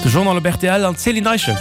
De Journal op rtl an d'Céline Eischen.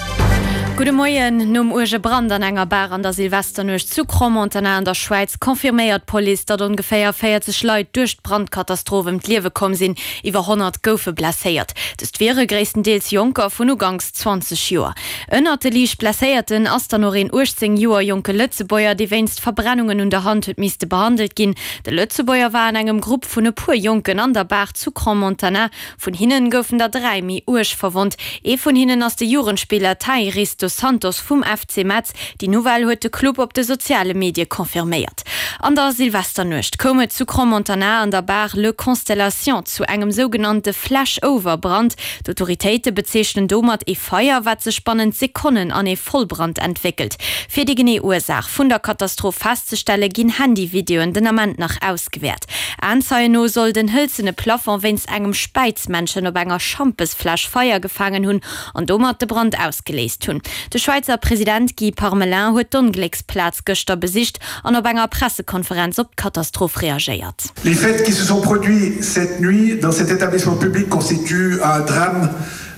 Gudde Moien. Nom uerge Brand an enger Bar an der Silvesternuecht zu Crans-Montana an der Schwäiz confirméiert d'Police, datt ongeféier 40 Leit duerch d'Brandkatastroph ëm d'Liewe komm sinn. Iwwer 100 goufe blesséiert. Dëst wiere gréisstendeels Jonker vun uganks 20 Joer. Ënnert de liicht Blesséierten ass dann och een 18 Joer jonke Lëtzebuerger, dee wéinst Verbrennungen un der Hand huet misste behandelt ginn. De Lëtzebuerger war an engem Grupp vun e puer Jonken an der Bar zu Crans-Montana. Vun hinnen goufen der 3 méi uerg verwonnt. Ee vun hinnen ass de Jugendspiller Tairis dos Santos vum FC Metz. Déi Nouvelle huet de Club op de soziale Medie confirméiert. An der Silvesternuecht koum et zu Crans-Montana an der Bar Le Constellation zu engem sougenannte Flash-Over-Brand. D'Autoritéite bezeechnen domat ee Feier, wat sech bannent Sekonnen an ee Vollbrand entwéckelt. Fir déi genee Ursaach vun der Katastroph festzestelle ginn Handyvideoen den Ament nach ausgewäert. Aenzeien no soll den hëlzene Plafond wéinst engem Späizmännchen op enger Schampesfläsch Feier gefaangen hunn an domat de Brand ausgeléist hunn. De Schwäizer President Guy Parmelin huet d'Onglécksplaz gëschter besicht an op enger Pressekonferenz op d'Katastroph reagéiert. Les faits qui se sont produits cette nuit dans cet établissement public constituent un drame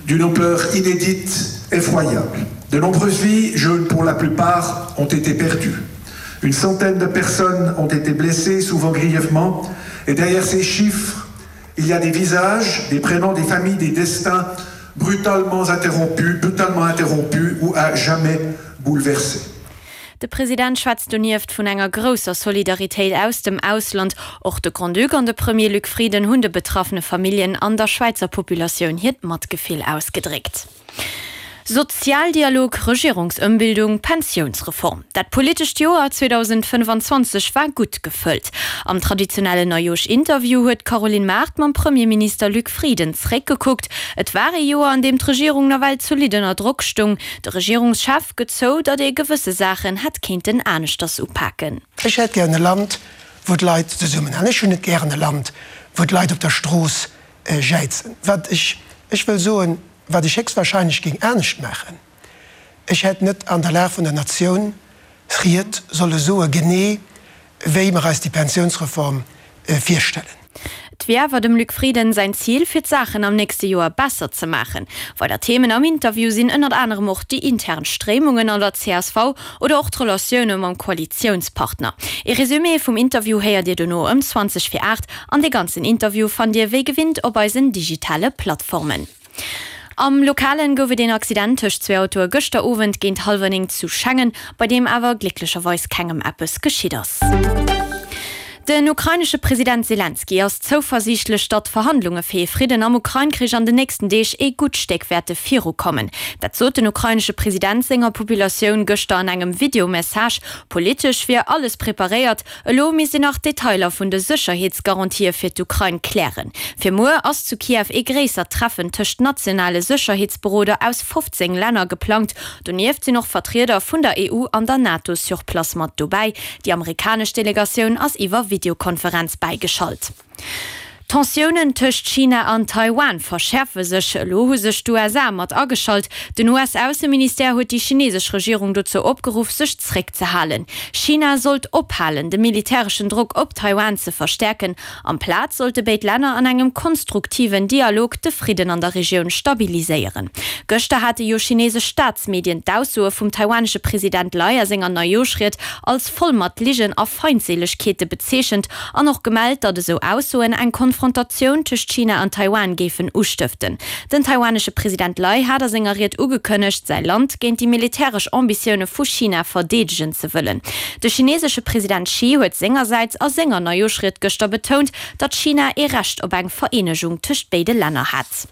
d'une ampleur inédite, effroyable. De nombreuses vies, jeunes pour la plupart, ont été perdues. Une centaine de personnes ont été blessées, souvent grièvement, et derrière ces chiffres, il y a des visages, des prénoms, des familles, des destins brutalement interrompus, brutalement interrompus ou à jamais bouleversés. De President schwätzt donieft vun enger grousser Solidaritéit aus dem Ausland. Och de Grand-Duc an de Premier Luc Frieden hunn de betraffene Familljen an der Schwäizer Populatioun hiert Matgefill ausgedréckt. Sozialdialog, Regierungsëmbildung, Pensiounsreform, dat politescht Joer 2025 war gutt gefëllt. Am traditionellen Neijoosch-Interview huet d'Caroline Mart mam Premierminister Luc Frieden zréckgekuckt. Et war ee Joer, an deem d'Regierung nawell zolidd ënner Drock stoung. De Regierungschef gëtt zou, datt ee gewësse Saachen hätt kéinten aneschters upaken. Ech hätt gären e Land, wou d'Leit zesummenhalen. Ech hunn net gären e Land, wou d'Leit op der Strooss jäizen. Wat ech, ech wëll soen, Wat ech héchstwahrscheinlech géing anescht maachen, ech hätt net an der Lag vun der Natioun Ried solle soe genee wéi mer eis déi Pensiounsreform virstellen. Et wier awer dem Luc Frieden säin Zil, fir d'Saachen am nächste Joer besser ze maachen. Weider Themen am Interview sinn ënnert anerem och déi intern Stréimungen an der csv oder och d'Relatioune mam Koalitiounspartner. Ee Resumé vum Interview héiert Dir dono ëm 20 vir 8 An de ganzen Interview fannt Dir wéi gewinnt op eisen digitale Plattformen. Am Lokalen gouf et een Accident tëscht zwee Autoe gëschter Owend géint hallwer 9 zu Schengen, bei deem awer glécklecherweis kengem eppes geschitt ass. Den ukrainesche President Selenskyj ass zouversiichtlech, datt d'Verhandlunge fir ee Fridden am Ukrain-Krich an den nächsten Deeg ee gutt Stéck wäerte virukommen. Dat sot den ukrainesche President senger Populatioun gëschter an engem Videomessage. Politesch wier alles preparéiert, Elo misst een nach d'Detailer vun de Sécherheetsgarantië fir d'Ukrain klären. Fir muer ass zu Kiew ee gréissert Treffen tëscht nationale Sécherheetsberoder aus 15 Länner geplangt. Donieft sinn och Vertrieder vun der EU an der NATO sur place mat dobäi. Déi amerikanesch Delegatioun ass iwwer Videokonferenz bäigeschalt. D'Tensiounen tëscht China an Taiwan verschäerfe sech. Elo hu sech d'USA mat ageschalt. Den US-Ausseministère huet déi chinesesch Regierung dozou opgeruff, sech zréckzehalen. China sollt ophalen, de militäreschen Drock op Taiwan ze verstäerken. Amplaz sollte béid Länner an engem konstruktiven Dialog de Fridden an der Regioun stabiliséieren. Gëschter hate jo chinesesch Staatsmedien d'Aussoe vum taiwanesche President Lai a senger Neijooschried als voll mat Ligen a Feindseelegkeete bezeechent an och gemellt, datt esou Aussoen eng Konfrontatioun tëscht China an Taiwan géifen ustëften. Den taiwanesche President Lai hat a senger Ried ugekënnegt, säi Land géint déi militäresch Ambitioune vu China verdeedegen ze wëllen. De chinesesche President Xi huet sengersäits a senger Neijooschried gëschter betount, datt China ee Recht op eng Vereenegung tëscht béide Länner hätt.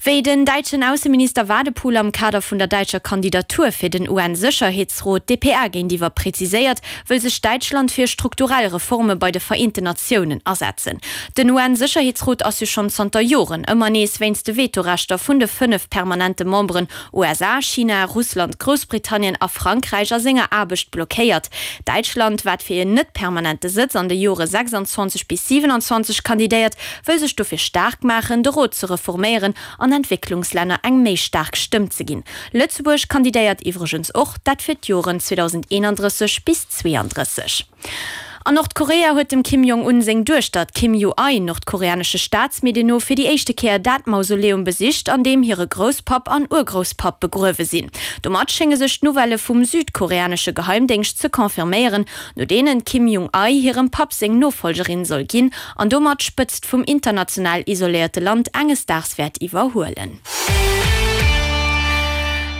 Wéi den däitschen Ausseminister Wadephul am Kader vun der däitscher Kandidatur fir den UN-Sécherheetsrot dpa géintiwwer präziséiert, wëll sech Däitschland fir strukturell Reforme bei de Vereenten Natiounen asetzen. Den UN-Sécherheetsrot ass jo schonn zanter Joren ëmmer nees wéinst de Vetorechter vun de 5 permanente Memberen USA, China, Russland, Groussbritannien a Frankräich a senger Aarbecht blockéiert. Däitschland, wat fir een net permanente Sëtz an de Jore 26 bis 27 kandidéiert, wëll sech dofir staark maachen, de Rot ze reforméieren an Entwécklungslänner eng méi staark Stëmm ze ginn. Lëtzebuerg kandidéiert iwwregens och, dat fir d'Joren 2031 bis 32. An Nordkorea huet dem Kim Jong-un seng Duechter, d'Kim Ju-ae, nordkoreanesche Staatsmedien no fir déi éischte Kéier dat Mausoleum besicht, an deem hire Grousspapp an Urgrousspapp begruewe sinn. Domat schénge sech d'Nouvellë vum südkoreanesche Geheimdéngscht ze confirméieren, no deenen d'Kim Jung-ae hirem Papp seng Nofollgerin soll ginn an domat d'Spëtzt vum international isoléierte Land enges Daags wäert iwwerhuelen.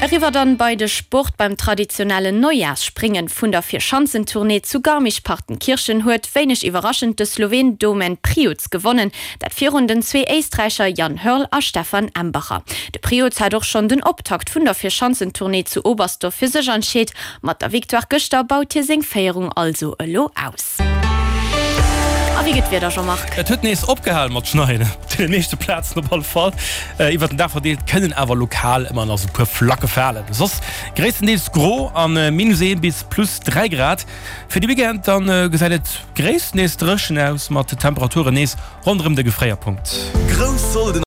Eriwwer dann bei de Sport, Beim traditionellen Neujahrsspringen vun der Vierschanzentournée zu Garmisch-Partenkirchen huet, wéineg iwwerraschend, de Sloween Domen Prijoc gewonnen, dat virun den zwee Éisträicher Jan Hörl a Stefan Embacher. De Prijoc hat och schonn den Optakt vun der Vierschanzentournée zu Oberstdorf fir sech entscheet. Mat der Victoire gëschter baut hie seng Féierung also elo aus. A wéi gëtt d'Wieder, Jean-Marc? Et huet nees opgehal mat schneien, op deene meeschte Plazen op alle Fall. Iwwert den Dag verdeelt kënnen awer lokal ëmmer nach sou puer Flacke falen. Soss gréisstendeels gro a minus 1 bis plus 3 Grad. Fir de Weekend dann gesäit et gréisstendeels dréchen aus, mat Temperaturen nees ronderëm de Gefréierpunkt. Grouss Solden.